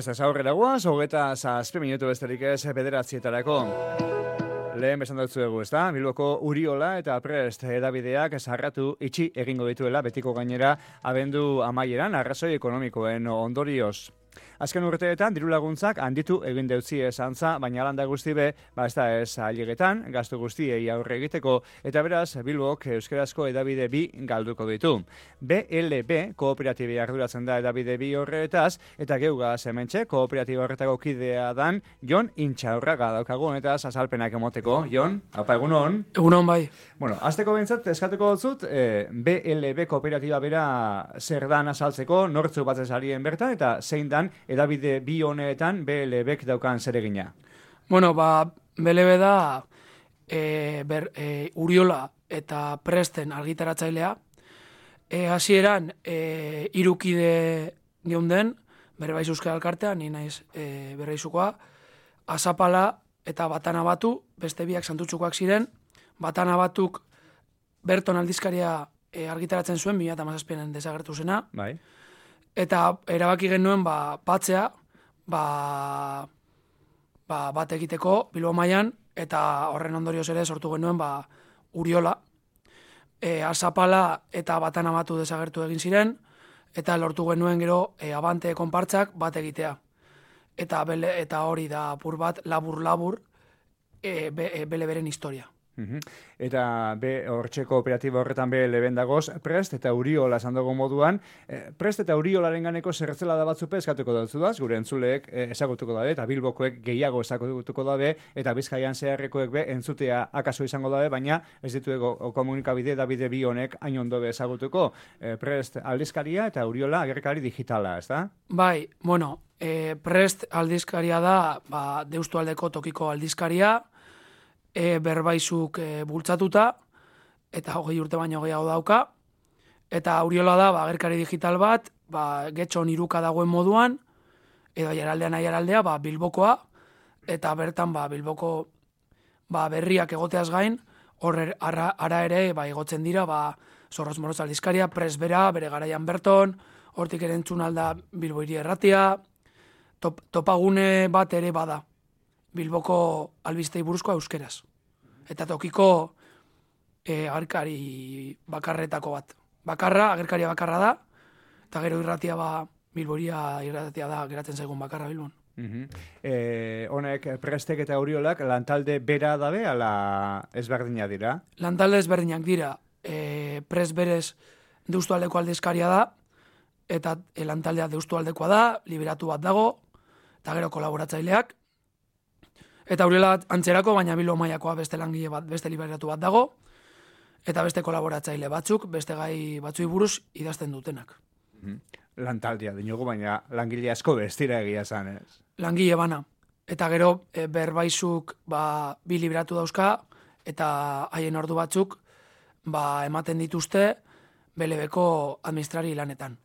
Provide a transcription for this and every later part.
Prest ez aurrera guaz, 27 minutu besterik ez bederatzietarako. Lehen besan dut zuegu, ez da? Bilboko Uriola eta Prest edabideak zarratu itxi egingo dituela betiko gainera abendu amaieran arrazoi ekonomikoen ondorioz. Azken urteetan diru laguntzak handitu egin deutzi esantza, baina alanda guzti be, ez da ez ailegetan, gastu guztiei aurre egiteko, eta beraz Bilbok euskarazko edabide bi galduko ditu. BLB kooperatibe arduratzen da edabide bi horretaz, eta geugaz hementxe kooperatiba horretako kidea dan Jon Intxaurraga daukagu, eta azalpenak emoteko. Jon, apa egunon? Egunon bai. Bueno, azteko bintzat eskatuko dutzut, BLB kooperatiba bera zer dan azaltzeko, nortzu batzez arien bertan, eta zein dan edabide bi honetan BLBek daukan zeregina. Bueno, BLB da Uriola eta Presten argitaratzailea. Hasieran hirukide geunden, Berbaiz Euskal Elkartea, ni naiz Berbaizukoa, Azapala eta Batana Batu, beste biak Santutxukoak ziren. Batana Batuk Berton aldizkaria argitaratzen zuen, 2017an desagertu zena. Bai. Eta erabaki genuen batzea, bat egiteko Bilbo mailan, eta horren ondorioz ere sortu genuen Uriola. Azapala eta Batana Batu desagertu egin ziren, eta lortu genuen gero Abante konpartzak bat egitea. Eta hori da apur bat, labur-labur, BLBren historia. Eta hortxe kooperatiba horretan BLB dagoz, Prest eta Uriola esan dugu moduan. Prest eta Uriolaren ganeko zerretzela da batzupe eskatuko dauzudaz, gure entzuleek ezagutuko dabe, eta Bilbokoek gehiago ezagutuko dabe, eta Bizkaian zeharrekoek be entzutea akaso izango dabe, baina ez dituego komunikabide Davide bi honek hain ondo be ezagutuko. Prest aldizkaria eta Uriola agerkari digitala, ez da? Bai, bueno, Prest aldizkaria da Deustualdeko tokiko aldizkaria, Berbaizuk bultzatuta, eta 20 urte baino gehiago dauka, eta Uriola da agerkari digital bat, Getxon iruka dagoen moduan, edo aiaraldea Bilbokoa, eta bertan Bilboko berriak egoteaz gain, ara ere egotzen dira Zorroz Moroz aldizkaria, Prest bera, bere garaian Berton, hortik ere entzun alda Bilbo Hiri Erratia, topagune bat ere bada. Bilboko albistei buruzkoa euskeraz. Eta tokiko agerkari bakarretako bat. Agerkaria bakarra da, eta gero irratia Bilboria irratia da geratzen zaigun bakarra Bilbon. Honek Prestek eta Uriolak lantalde bera dabe, ala ezberdina dira? Lantalde ezberdinak dira. Prest berez Deustualdeko aldizkaria da, eta lantaldea Deustualdekoa da, liberatu bat dago, eta gero kolaboratzaileak. Eta Uriola antzerako, baina Bilbo mailakoa beste langile bat, beste liberatu bat dago, eta beste kolaboratzaile batzuk, beste gai batzui buruz idazten dutenak. Lantaldia dinogu, baina langile asko bestira egia zan, ez? Langile bana. Eta gero Berbaizuk bi liberatu dauzka, eta haien ordu batzuk ematen dituzte BLBko administrari lanetan.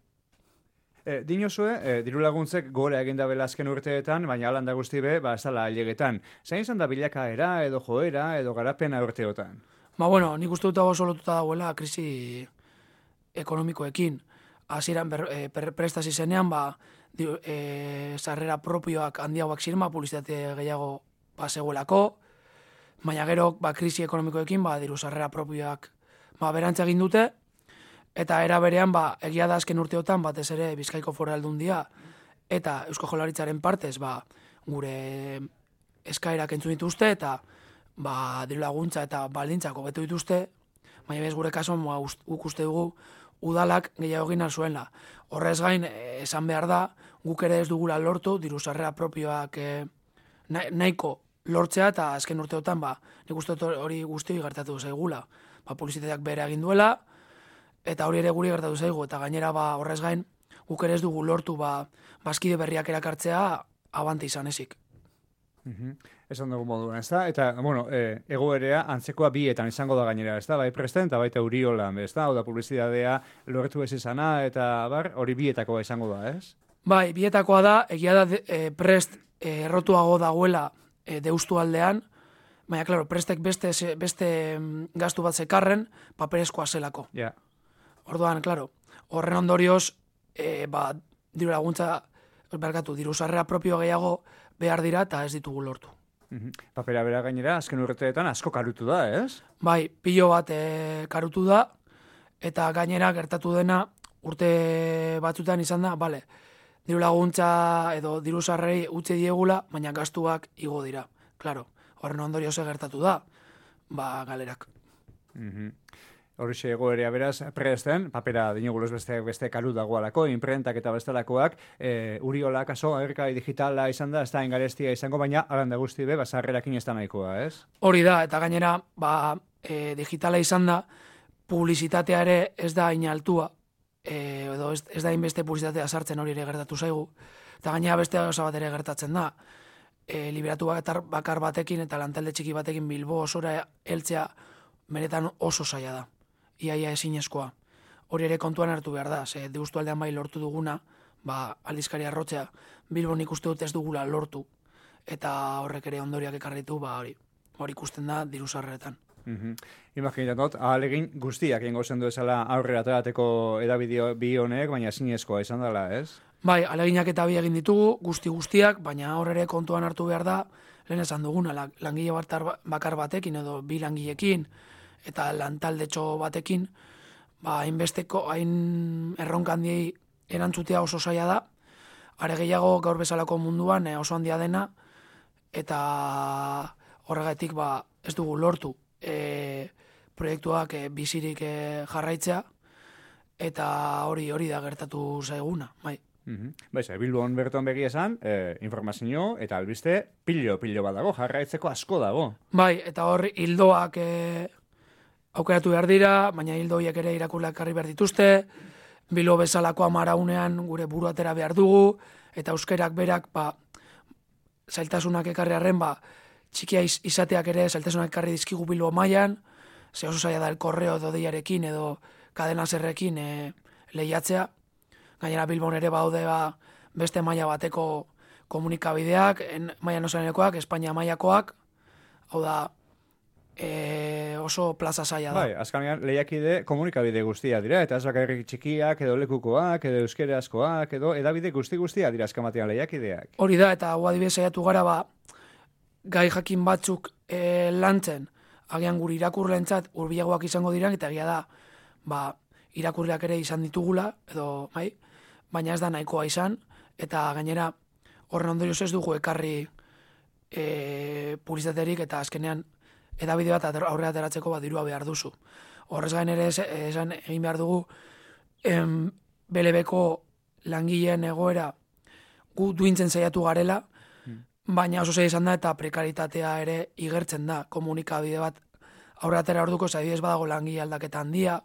Dinozue, diru laguntzek gora egin dabela azken urteetan, baina alanda guzti be, ez dala ailegetan. Zain izan da bilakaera, edo joera, edo garapena urteotan? Bueno, nik uste dut oso lotuta dagoela krisi ekonomikoekin. Hasieran prestasi zenean, sarrera propioak handiagoak ziren, publizitate gehiago zegoelako, baina gero krisi ekonomikoekin, diru sarrera propioak berantza egin dute, eta era berean, egia da azken urteotan, batez ere Bizkaiko Foru Aldundia, eta Eusko Jaurlaritzaren partez, gure eskaerak entzun dituzte, eta diru laguntza eta baldintzak hobetu dituzte, baina bez gure kasuan guk uste dugu udalak gehiago egin zuela. Horrez gain, esan behar da, guk ere ez dugula lortu, diru sarrera propioak nahiko lortzea, eta azken urteotan, nik uste hori guztioi gertatu zaigula. Publizitateak bere egin duela, eta hori ere guri gertatu zaigu, eta gainera horrez gain, guk ere ez dugu lortu bazkide berriak erakartzea Abante izan ezik. Esan dugu moduan, ez da? Eta, egoerea antzekoa bietan izango da gainera, ez da? Bai Presten eta baita Uriola, ez da? Oda publizitatea lortu ez izana, eta hori bietakoa izango da, ez? Bai, bietakoa da, egia da Prest errotuago dagoela Deustualdean, baina, klaro, Prestek beste gastu bat zekarren, paperezkoa zelako. Ja. Orduan, klaro, horren ondorioz, diru laguntza diru sarrera propio gehiago behar dira eta ez ditugu lortu. Papera bera gainera, azken urteetan asko karutu da, ez? Bai, pilo bat karutu da, eta gainera gertatu dena urte batzutan izan da, bale, diru laguntza edo diru sarrerei utzi diegula, baina gastuak igo dira. Claro, horren ondorio ze gertatu da, galerak. Horixe egoerea beraz, presten, papera dinoguluz beste karu dagoalako, imprentak eta bestelakoak, Uriola kaso, agerkai digitala izan da, ez da engarestia izango, baina alanda guzti be, sarrerakin ez da nahikoa, ez? Hori da, eta gainera, digitala izan da, publizitatea ere ez da inaltua, edo ez da inbeste publizitatea sartzen hori ere gertatu zaigu, eta gainera beste gauza bat ere gertatzen da, liberatu bakar batekin eta lantalde txiki batekin Bilbo osora heltzea benetan oso zaila da. Iaia ezinezkoa. Hori ere kontuan hartu behar da, ze Deustu aldean bai lortu duguna, aldizkari arrotzea, Bilbon ikuste dut ez dugula lortu, eta horrek ere ondoriak ekarritu, hori ikusten da diru sarreretan. Imaginatot, ahalegin guztiak ingo zendu ezala aurrera aterateko edabideo bi honek, baina ezinezkoa izan dela, ez? Bai, ahaleginak eta bi egin ditugu, guztiak, baina hor ere kontuan hartu behar da, lehen esan duguna, langile bakar batekin edo bi langilekin, eta lantaldetxo batekin, hain erronka handiei erantzutea oso zaila da, are gehiago gaur bezalako munduan oso handia dena, eta horregatik ez dugu lortu proiektuak bizirik jarraitzea, eta hori da gertatu zaiguna, bai. Bilbon berton begi esan, informazio eta albiste pilo badago, jarraitzeko asko dago. Bai, eta hor hildoak aukeratu behar dira, baina hildo horiek ere irakurleak karri behar dituzte, Bilbo bezalako amaraunean gure buru atera behar dugu, eta euskerak berak, zailtasunak ekarri arren, txikia izateak ere zailtasunak ekarri dizkigu Bilbo mailan, ze oso zaila da el korreo edo deiarekin edo kadena zerrekin lehiatzea. Gainera Bilbon ere baude beste maila bateko komunikabideak, maila nozanekoak, Espainia mailakoak, hau da, oso plaza zaila da. Bai, azkanean lehiakide komunikabide guztia dira, eta ez bakarrik txikiak, edo lekukoak, edo euskerazkoak, edo edabide guztia dira azkamatean lehiakideak. Hori da, eta hau adibidez saiatu gara, gai jakin batzuk lantzen, agian guri irakurlentzat hurbilagoak izango dira, eta egia da, irakurleak ere izan ditugula, edo, baina ez da nahikoa izan, eta gainera horren ondorioz ez dugu ekarri publizitaterik, eta azkenean edabide bat aurrera ateratzeko dirua behar duzu. Horrez gain ere esan egin behar dugu BLB-ko langileen egoera gu duintzen saiatu garela, baina oso zaila izan da eta prekaritatea ere igertzen da. Komunikabide bat aurrera atera orduko adibidez badago langile aldaketa handia,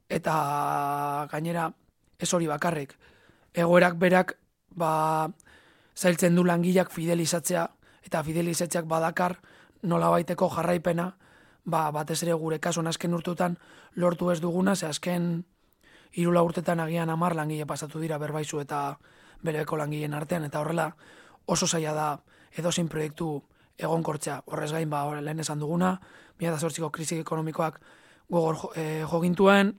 eta gainera ez hori bakarrik. Egoerak berak zailtzen du langileak fidelizatzea, eta fidelizatzeak badakar nola baiteko jarraipena, batez ere gure kasuan azken urteetan lortu ez duguna, ze azken 3 urtetan agian 10 langile pasatu dira Berbaizu eta BLB-ko langileen artean, eta horrela oso zaila da edozein proiektu egonkortzea. Horrez gain, lehen esan duguna, 2008ko krisi ekonomikoak gogor jogintuen,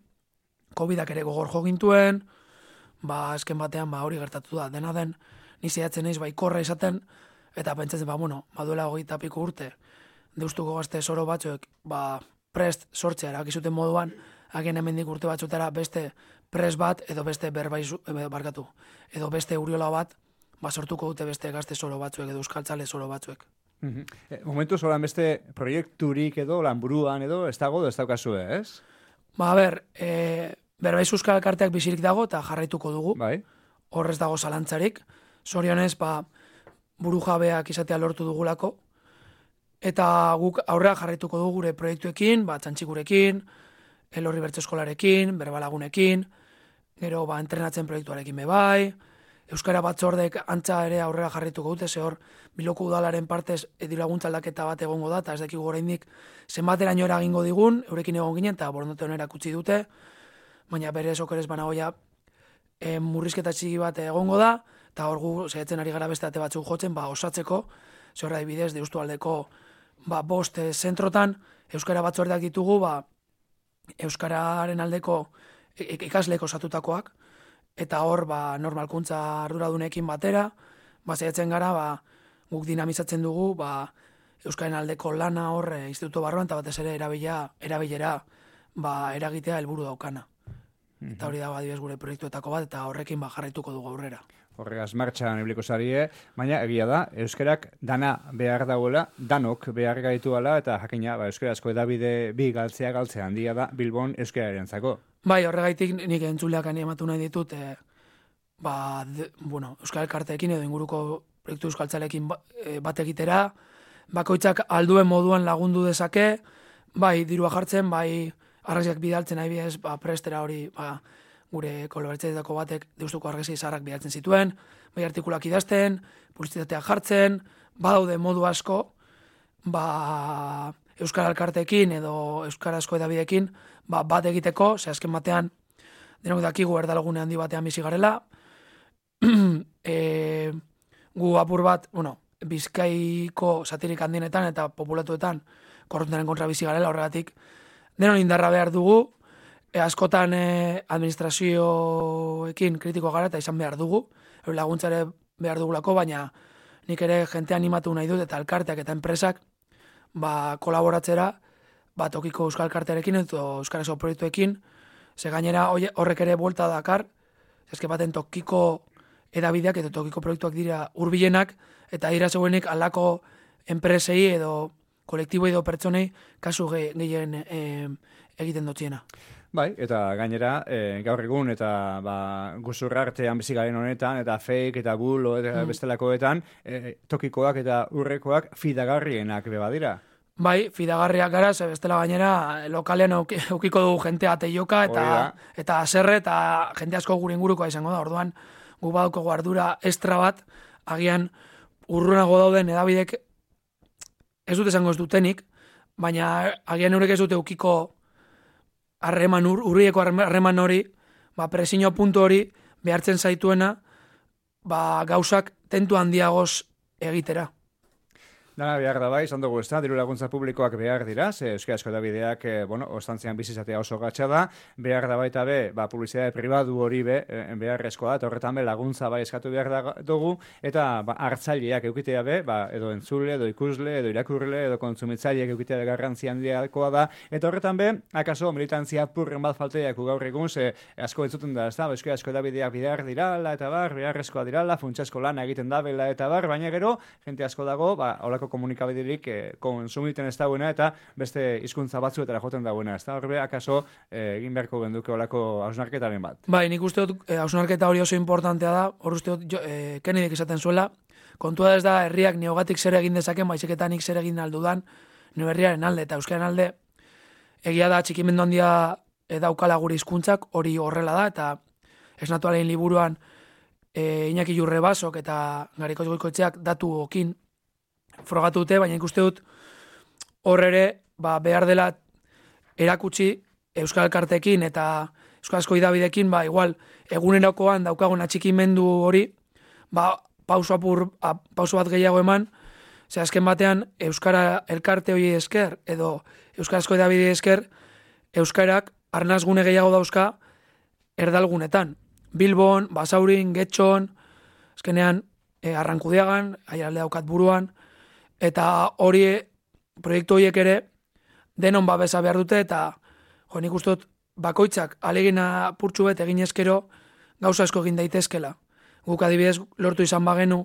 Covidak ere gogor jogintuen, azken batean hori gertatu da. Dena den, ni saiatzen naiz baikorra izaten, eta pentsatzen, baduela 20 piko urte, Deustuko gazte zoro batzuek, prest sortzea erakizuten moduan, agian hemendik urte batzutara beste prest bat, edo beste Berbaizu, edo beste Uriola bat, sortuko dute beste gazte zoro batzuek, edo euskaltzale zoro batzuek. Momentu zolan beste proiekturik edo, lanburuan edo, ez dago, ez daukazue, ez? Berbaizu euskal elkarteak bizirik dago, eta jarraituko dugu. Bai. Horrez dago zalantzarik. Zorionez, buru jabeak izatea lortu dugulako, eta guk aurrera jarraituko dugu gure proiektuekin, txantxikurekin, Elorri Bertso Eskolarekin, Berbalagunekin, gero entrenatzen proiektuarekin bebai, Euskara Batzordek antza ere aurrera jarraituko dute, ze hor Bilboko udalaren partez diru-laguntza aldaketa bat egongo da, eta ez dakigu oraindik zenbateraino eragingo digun, eurekin egon ginen, eta borondate onera kutsi dute, baina bere okerez banagoia murrizketa txiki bat egongo da, eta hor gu saiatzen ari gara beste ate batzuk jotzen, osatzeko, ze horra bidez Deustu aldeko 5 zentrotan, Euskara Batzordeak ditugu, Euskararen aldeko ikasleek osatutakoak, eta hor normalkuntza arduradunekin batera, saiatzen gara, guk dinamizatzen dugu, Euskaren aldeko lana hor instituto barruan, eta batez ere erabilera eragitea helburu daukana. Eta hori da adibidez gure proiektuetako bat, eta horrekin jarraituko dugu aurrera. Horregaz martxan ibiliko zarie, baina egia da, euskerak dana behar dagoela, danok behar gaituala, eta jakina, euskarazko edabide bi galtzea handia da Bilbon euskararentzako. Bai, horregaitik nik entzuleak animatu nahi ditut, Euskal Elkarteekin edo inguruko proiektu euskaltzalekin bat egitera, bakoitzak alduen moduan lagundu dezake, bai dirua jartzen, bai argazkiak bidaltzen nahi bidez, prestera hori, gure kolaboratzaileko batek deustuko argazki zaharrak bidaltzen zituen, bai artikulak idazten, publizitateak jartzen, badaude modu asko, Euskal Elkarteekin edo euskarazko edabidekin bat egiteko, azken batean denok dakigu erdalgune handi batean bizi garela, gu apur bat, Bizkaiko satirik handienetan eta populatuetan korruptearen kontra bizi garela, horregatik denon indarra behar dugu, askotan administrazioekin kritiko gara eta izan behar dugu, laguntzare behar dugulako, baina nik ere jente animatu nahi dut eta elkarteak eta enpresak kolaboratzera tokiko Euskal Elkartearekin eta euskarazko proiektuekin, ze gainera horrek ere buelta dakar, eske baten tokiko edabideak eta tokiko proiektuak dira hurbilenak eta dira zeuenik alako enpresei edo kolektibo edo pertsonei kasu gehien egiten dutziena. Bai, eta gainera, gaur egun eta guzurra artean bizi garen honetan, eta fake eta bulo eta bestelakoetan, tokikoak eta urrekoak fidagarrienak beba dira. Bai, fidagarriak gara, ze bestela gainera lokalean eukiko dugu jentea teioka eta aserre eta jente asko gure ingurukoa izango da. Orduan, gu badaukagu ardura estra bat, agian urrunago dauden edabidek ez dut esango ez dutenik, baina agian eurek ez dute eukiko urrieko harreman hori, presio puntu hori behartzen zaituena, gauzak tentu handiagoz egitera. Dana behar da bai, izan dugu ez da, diru laguntza publikoak behar dira, ze euskarazko edabideak, ostantzean bizizatea oso gatsa da, behar da baita publizitate pribatu hori beharrezkoa, eta horretan laguntza eskatu behar dugu, eta hartzaileak eukitea edo entzule, edo ikusle, edo irakurle, edo kontsumitzaileak eukitea garrantzi handiakoa da, eta horretan akaso militantzia purren bat falteak gaur egun, ze asko entzuten da, ez da, euskarazko edabideak behar dirala, eta beharrezkoa dirala, funtsasko lana egiten dabela, eta baina gero, jente asko dago, holako komunikabiderik konsumiten ez dagoena eta beste hizkuntza batzuetara joten dagoena. Ez da, horbe, akaso egin beharko genduke olako hausnarketaren bat. Bai, nik uste dut hausnarketa hori oso importantea da, hor uste dut Kennedek esaten zuela, kontua ez da herriak neogatik zer egin dezaken, baizeketan nik zer egin aldudan nio herriaren alde eta euskaren alde egia da txikimendu handia daukala gure hizkuntzak hori horrela da, eta esnatualen liburuan Iñaki Jurrebasok eta Garikoz Goikoetxeak datu okin frogatu dute, baina ikuste dut hor ere behar dela erakutsi Euskal Elkarteekin eta euskarazko idabidekin, igual egunerokoan daukagun atxikimendu hori, pauso bat gehiago eman, ze azken batean Euskara Elkarte hori esker edo euskarazko idabide esker euskarak arnazgune gehiago dauzka erdalgunetan. Bilbon, Basaurin, Getxon, azkenean Arrankudiagan, aialde daukat buruan, eta hori proiektu horiek ere denon babesa behar dute eta nik uste dut bakoitzak alegina purtsu bet egin eskero gauza asko egin daitezkela. Guk adibidez lortu izan bagenu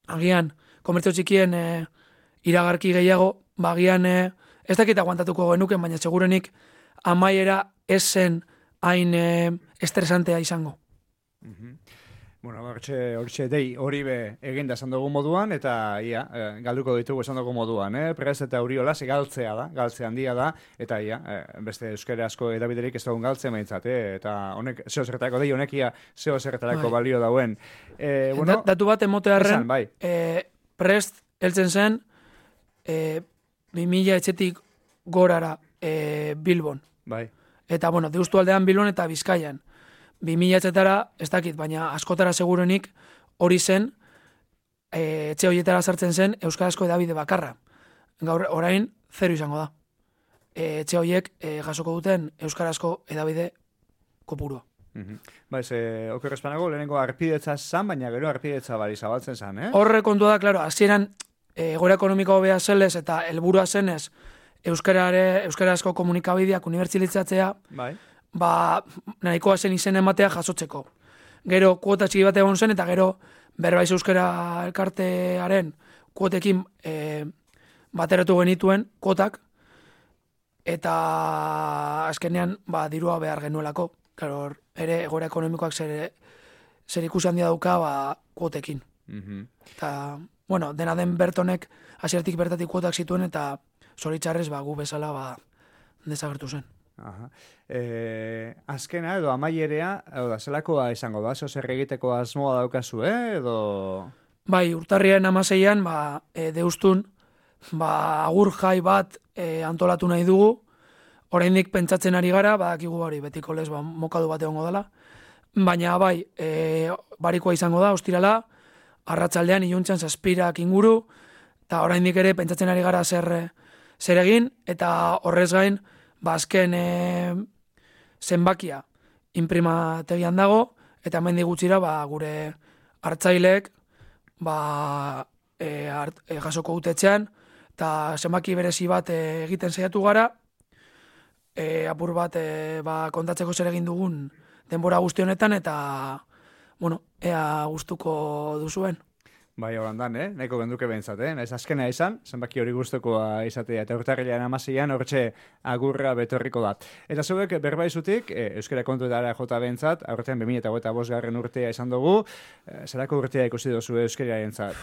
agian komertzio txikien iragarki gehiago, agian ez dakit aguantatuko genuken, baina segurenik amaiera ez zen hain estresantea izango. Bueno, hortxe dei hori egin da esan dugu moduan, eta galduko ditugu esan dugu moduan, Prez eta Uriola, galtzea da, galtze handia da, eta beste euskarazko edabiderik ez dugun galtzen behintzat, eta honek, zeo zertarako dei, honekia zeo zertarako balio dauen. Datu bat emotearren, Prest heltzen zen 2000 etxetik gorara Bilbon. Bai. Eta, deustu aldean Bilbon eta Bizkaian. 2000 etxetara, ez dakit, baina askotara segurenik hori zen, etxe horietara sartzen zen euskarazko edabide bakarra. Gaur, orain, 0 izango da. Etxe horiek jasoko duten euskarazko edabide kopurua. Oker espanago, lehenengo arpidetza zan, baina gero arpidetza bari zabaltzen zan, Horre kontua da, klaro, hasieran egoera ekonomiko hobea zelez eta helburua zenez euskarazko komunikabideak unibertsalizatzea, nahikoa zen izen ematea jasotzeko. Gero kuota txiki bat egon zen, eta gero Berbaiz Euskara elkartearen kuotekin bateratu genituen kuotak, eta azkenean dirua behar genuelako. Claro, ere egoera ekonomikoak zer ikusi handia dauka kuotekin. Eta, bueno, dena den Bertonek hasiertik bertatik kuotak zituen, eta zoritxarrez gu bezala desagertu zen. Azkena edo amaierea, zelakoa izango da, zer egiteko asmoa daukazu, edo... Bai, urtarriaren 16an, deustun, agur jai bat antolatu nahi dugu, oraindik pentsatzen ari gara, badakigu hori betiko lez mokadu bat egongo dela, baina barikoa izango da, ostirala, arratsaldean iluntzan 7 inguru, eta oraindik ere pentsatzen ari gara zer egin, eta horrez gain, azken zenbakia inprimategian dago, eta hemen gutxira gure hartzaileek jasoko utetxean, eta zenbaki berezi bat egiten saiatu gara, apur bat kontatzeko zer egin dugun denbora guzti honetan, eta ea gustuko duzuen. Bai, horandan, nahiko genduke behintzat, naiz azkena izan, zenbaki hori gustukoa izatea, eta urtarrilean 16an hortxe agurra betorriko da. Eta zuek berbaizutik, euskara kontuetara jota behintzat, aurten 2025 urtea izan dugu, zerako urtea ikusi duzu euskararentzat?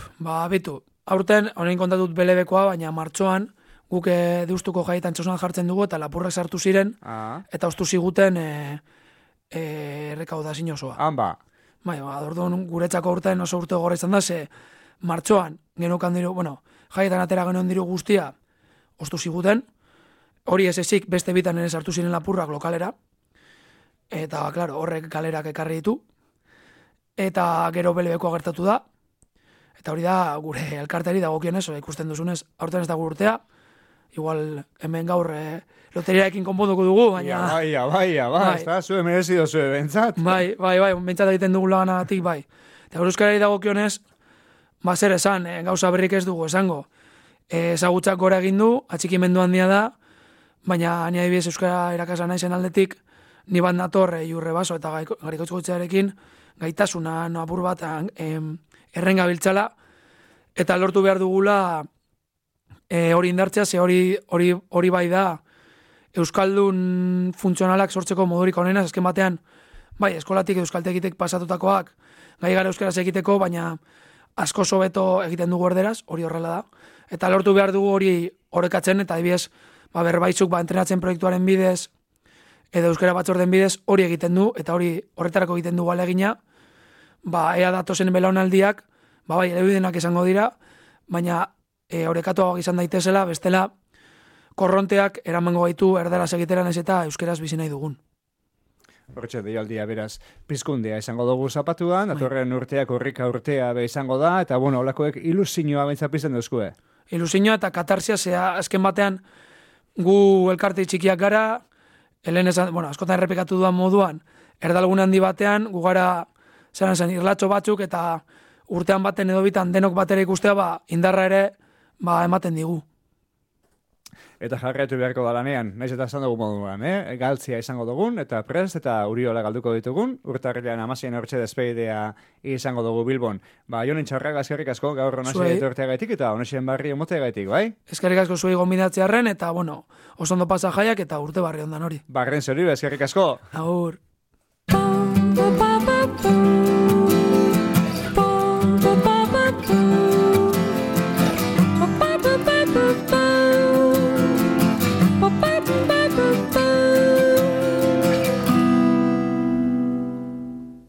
Bitu, aurten, honein kontatut belebekoa, baina martxoan, guk deustuko jaietan txosan jartzen dugu, eta lapurrak sartu ziren, eta ostu ziguten errekaudazio osoa. Bai, orduan guretzako urtean oso urte gogorra izan da, ze martxoan genukan diru, jaietan atera genuen diru guztia ostu ziguten, hori ez ezik beste bitan ere sartu ziren lapurrak lokalera, eta, klaro, horrek galerak ekarri ditu, eta gero belebekoa gertatu da, eta hori da gure elkarteari dagokionez, ikusten duzunez, aurten ez da urtea, igual hemen gaur loteriaekin konponduko dugu, baina... Bai, ez da, zue merezido zue, bentsat. Bai, bentsat egiten dugu laganagatik, bai. Eta euskarari dagokionez, zer esan, gauza berrik ez dugu esango. Ezagutzak gora egin du, atxikimendu handia da, baina ni adibidez euskara irakasla naizen aldetik, ni bat nator Jurre Baso eta Garikoitzkoetxearekin gaitasuna apur bat errengabiltzala, eta lortu behar dugula hori indartzea, ze hori bai da euskaldun funtzionalak sortzeko modurik onena, azken batean, bai, eskolatik euskaltegitek pasatutakoak gai gara euskaraz egiteko, baina asko sobeto egiten dugu erderaz, hori horrela da. Eta lortu behar dugu hori orekatzen, eta adibidez, berbaizuk entrenatzen proiektuaren bidez, edo euskara batzorden bidez, hori egiten du, eta horretarako egiten du alegina, ea datozen belaunaldiak, bai, elebidenak izango dira, baina orekatuagoak izan daitezela, bestela, korronteak eramango gaitu erdaraz egiteran ez eta euskeraz bizi nahi dugun. Hortxe, deialdia beraz, pizkundea izango dugu zapatuan, datorren urteak horrika urtea izango da, eta holakoek ilusioa bentzapizten duzkue. Ilusioa eta katarsia, azken batean gu elkarte txikiak gara, askotan errepikatu duan moduan, erdalgun handi batean, gu gara irlatxo batzuk, eta urtean baten edo bitan denok batera ikustea, indarra ere ematen digu. Eta jarraitu beharko da lanean, naiz eta esan dugu moduan, galtzia izango dugun, eta prest, eta Uriola galduko ditugun, urtarrilean 16an hortxe despedidea izango dugu Bilbon. Jonen Txarraga eskerrik asko gaur honasi etorteagaitik, eta honasien barri emoteagaitik, bai? Eskerrik asko zuei gonbidatzearren, eta oso ondo pasa jaiak, eta urte barri ondan hori. Barren zori, eskerrik asko! Agur! Papa